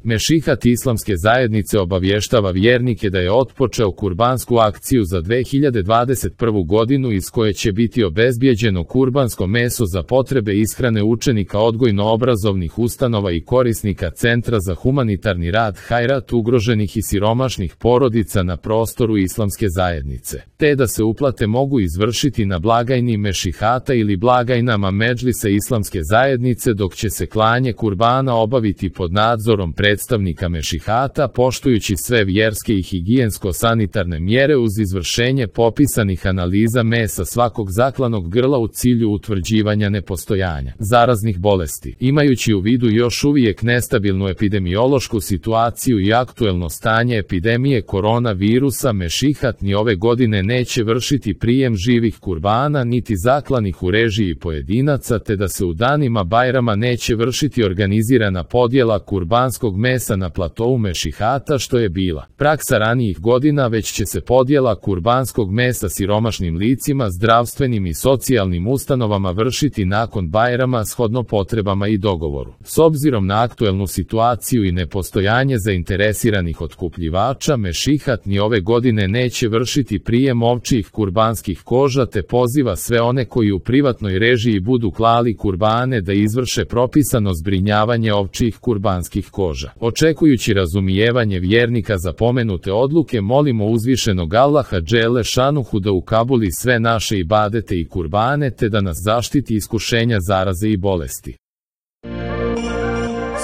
Mešihat islamske zajednice obavještava vjernike da je otpočeo kurbansku akciju za 2021. godinu iz koje će biti obezbijeđeno kurbansko meso za potrebe ishrane učenika odgojno-obrazovnih ustanova i korisnika Centra za humanitarni rad Hajrat ugroženih i siromašnih porodica na prostoru islamske zajednice, te da se uplate mogu izvršiti na blagajni Mešihata ili blagajnama Medžlisa islamske zajednice, dok će se klanje kurbana obaviti pod nadzorom predstavnika Mešihata poštujući sve vjerske i higijensko-sanitarne mjere uz izvršenje popisanih analiza mesa svakog zaklanog grla u cilju utvrđivanja nepostojanja zaraznih bolesti. Imajući u vidu još uvijek nestabilnu epidemiološku situaciju i aktuelno stanje epidemije koronavirusa, Mešihat ni ove godine neće vršiti prijem živih kurbana niti zaklanih u režiji pojedinaca, te da se u danima Bajrama neće vršiti organizirana podjela kurbanskog mesa na platou Mešihata što je bila praksa ranijih godina, već će se podjela kurbanskog mesa siromašnim licima, zdravstvenim i socijalnim ustanovama vršiti nakon Bajrama shodno potrebama i dogovoru. S obzirom na aktuelnu situaciju i nepostojanje zainteresiranih otkupljivača, Mešihat ni ove godine neće vršiti prijem ovčjih kurbanskih koža, te poziva sve one koji u privatnoj režiji budu klali kurbane da izvrše propisano zbrinjavanje ovčjih kurbanskih koža. Očekujući razumijevanje vjernika za pomenute odluke, molimo uzvišenog Allaha dželle šanuhu da ukabuli sve naše ibadete i kurbane, te da nas zaštiti iskušenja, zaraze i bolesti.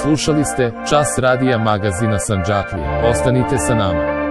Slušali ste Čas radija magazina Sandžaklija. Ostanite sa nama.